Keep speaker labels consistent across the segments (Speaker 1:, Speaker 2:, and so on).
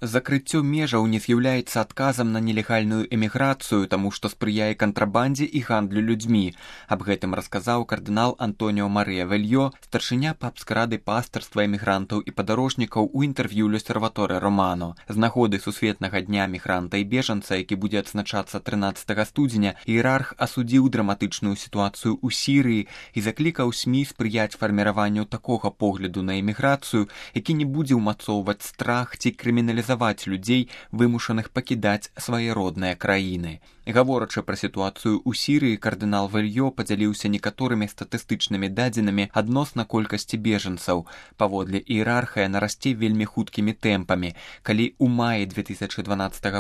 Speaker 1: Закрыццё межаў не з'яўляецца адказам на нелегальную эміграцыю, таму што спрыяе кантрабандзе і гандлю людзьмі. Аб гэтым расказаў кардынал Антоніо Марыя Вельё, старшыня папскай рады пастырства эмігрантаў і падарожнікаў у інтэрв'ю L'Osservatore Romano. З нагоды сусветнага дня мігранта і бежанца, які будзе адзначацца 13 студзеня, іерарх асудзіў драматычную сітуацыю ў Сірыі і заклікаў СМІ спрыяць фарміраванню такога погляду на эміграцыю, які не будзе ўмацоўваць страх ці крыміналізаваць людзей, вымушаных пакідаць свае родныя краіны. Гаворачы пра сітуацыю ў Сірыі, кардынал Вельё падзяліўся некаторымі статыстычнымі дадзенымі адносна колькасці бежанцаў. Паводле іерарха яна расце вельмі хуткімі тэмпамі. Калі ў маі 2012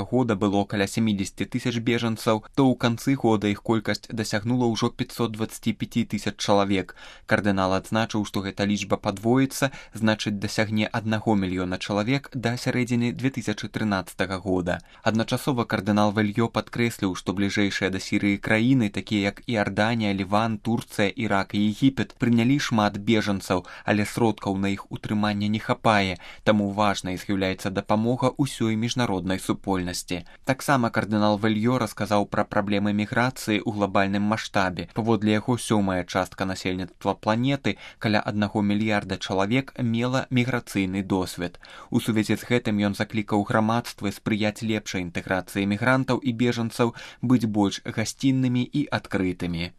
Speaker 1: года было каля 70 тысяч бежанцаў, то ў канцы года іх колькасць дасягнула ўжо 525 тысяч чалавек. Кардынал адзначыў, што гэта лічба падвоіцца, значыць дасягне 1 мільёна чалавек да сярэдзіны 2013 года. Адначасова кардынал Вельё падкрэсліў, што бліжэйшыя да Сірыі краіны, такія як Іорданія, Ліван, Турцыя, Ірак і Егіпет, прынялі шмат бежанцаў, але сродкаў на іх утрыманне не хапае, таму важнай з'яўляецца дапамога ўсёй міжнароднай супольнасці. Таксама кардынал Вельё расказаў пра праблемы міграцыі ў глобальным маштабе. Паводле яго, 7-я частка насельніцтва планеты, каля 1 мільярда чалавек, мела міграцыйны досвед. У сувязі з гэтым ён заклікаў грамадствы спрыяць лепшай інтэграцыі мігрантаў і бежанцаў, быць больш гасціннымі і адкрытымі.